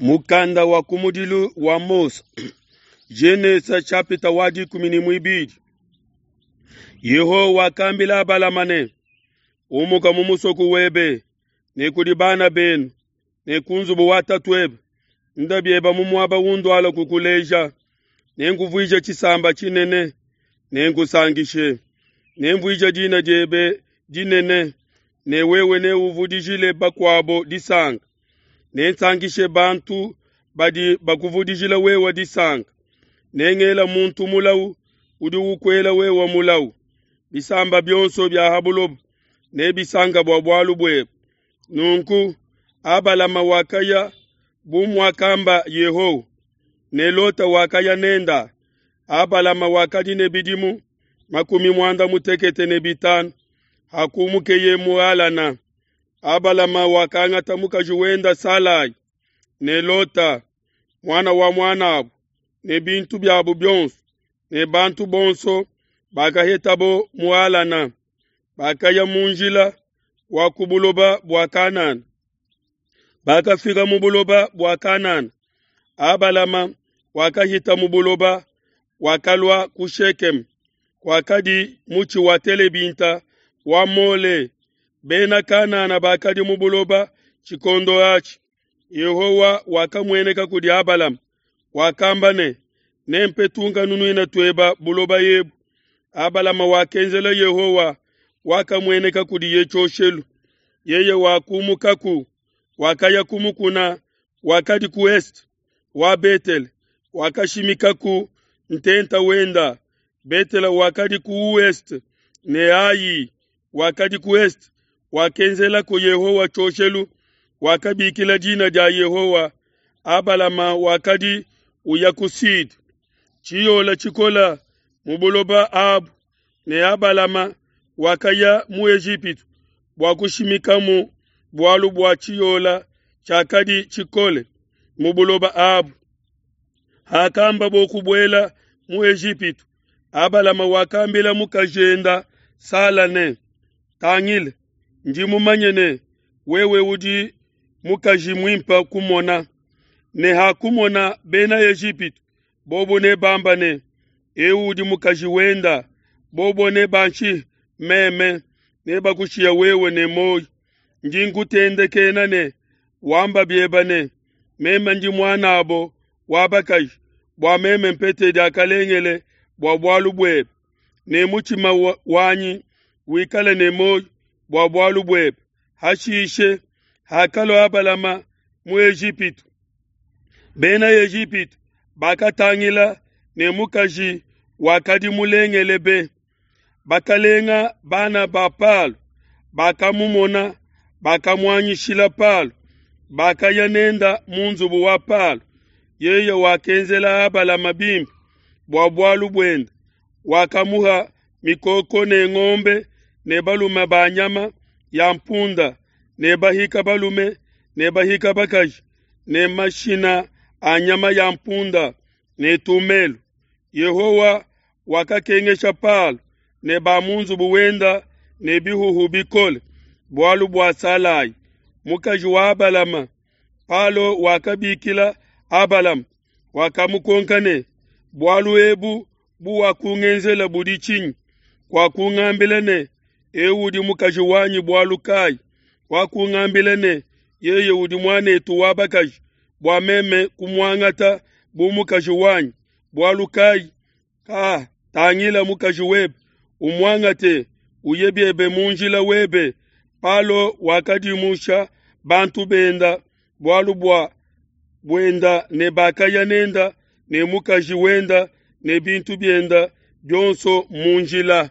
Mukanda wa kumudilu wa Mose, Genese chapita wa dikumi ne muibidi. Yehowa wakambila Abalama ne, Umuka mu musoko webe ne kudi bana benu ne ku nzubu wa tatuebe, nda bieba mu muaba unduala kukuleja. Nenkuvuije tshisamba tshinene, nenkusankishe, nemvuije dina diebe dinene, ne wewe neuvudijile bakuabo disanka. Nensankishe bantu badi bakuvudijila wewe disanka. Nengela muntu mulawu udi ukuela wewe mulawu. Bisamba bionso bia ha buloba nebisanka bua bualu buebe. Nunku Abalama wakaya bu muakamba Yehowa, ne Lota wakaya nenda. Abalama wakadi ne bidimu 95 hakumukeye mu Halana. Abalama wakangata mukaji wenda Salai ne Lota muana wa muan'abo ne bintu biabo bionso ne bantu bonso bakahetabo mu Halana, bakaya mu njila wa ku buloba bua Kanana. Bakafika mu buloba bua Kanana. Abalama wakahita mu buloba, wakalua ku Shekeme, kwakadi mutshi wa telebinta wa Mole. Bena Kanana bakadi mu buloba tshikondo atshi. Yehowa wakamueneka kudi Abalama, wakamba ne, Nempe tunkanunuina tueba buloba ebu. Abalama wakenzela Yehowa wakamueneka kudiye tshioshelu. Yeye wakumukaku, wakaya ku mukuna wakadi ku est wa Betele, wakashimikaku ntenta wenda. Betele wakadi ku ouest ne Ai wakadi ku est. Wakenzelako Yehowa tshioshelu, wakabikila dina dia Yehowa. Abalama wakadi uya ku sud, tshiyola tshikola mu buloba abu, ne Abalama wakaya mu Ejipitu bua kushimikamu bualu bua tshiyola tshiakadi tshikole mu buloba abu. Hakambabo kubuela mu Ejipitu, Abalama wakambila mukajenda Sala ne, Tangila, ndi mumanye ne wewe udi mukaji muimpe kumona, ne hakumona bena Ejipitu, bobo nebamba ne, Eu udi mukaji wenda, bobo nebanshihe meme, nebakushiya wewe ne muoyo. Ndi nkutendekena ne wamba bieba ne, Meme ndi muan'abo wa bakaji, bua meme mpete diakalengele bua bualu buebe, ne mutshima wanyi wikale ne muoyo bua bualu buebe. Hashishe, hakalua Abalama mu Ejipitu, Bena Ejipitu bakatangila ne mukaji wakadi mulengele be. Bakalenga bana ba Palo bakamumona, bakamuanyishila Palo, bakaya nenda mu nzubu wa Palo. Yeye wakenzela Abalama bimpe bua bualu buende, wakamuha mikoko ne ngombe ne balume ba nyama ya mpunda ne bahika balume ne bahika bakaji ne mashina a nyama ya mpunda ne tumelu. Yehowa wakakengesha Palo ne ba mu nzubu wenda ne bihuhu bikole bualu bua Salai, mukaji wa Abalama. Palo wakabikila Abalama, wakamukonka ne, Bualu ebu buwakungenzela budi tshinyi? Wakungambila ne, Eu udi mukaji wanyi bualu kayi? Wakungambila ne, Yeye udi muan'etu wa bakaji, bua meme kumuangata bu mukaji wanyi bualu kayi? Ka, tangila mukaji webe, umuangate, uye biebe mu njila webe. Palo wakadimusha bantu benda bualu bua buenda ne bakaya nenda ne mukaji wenda ne bintu bienda bionso mu njila.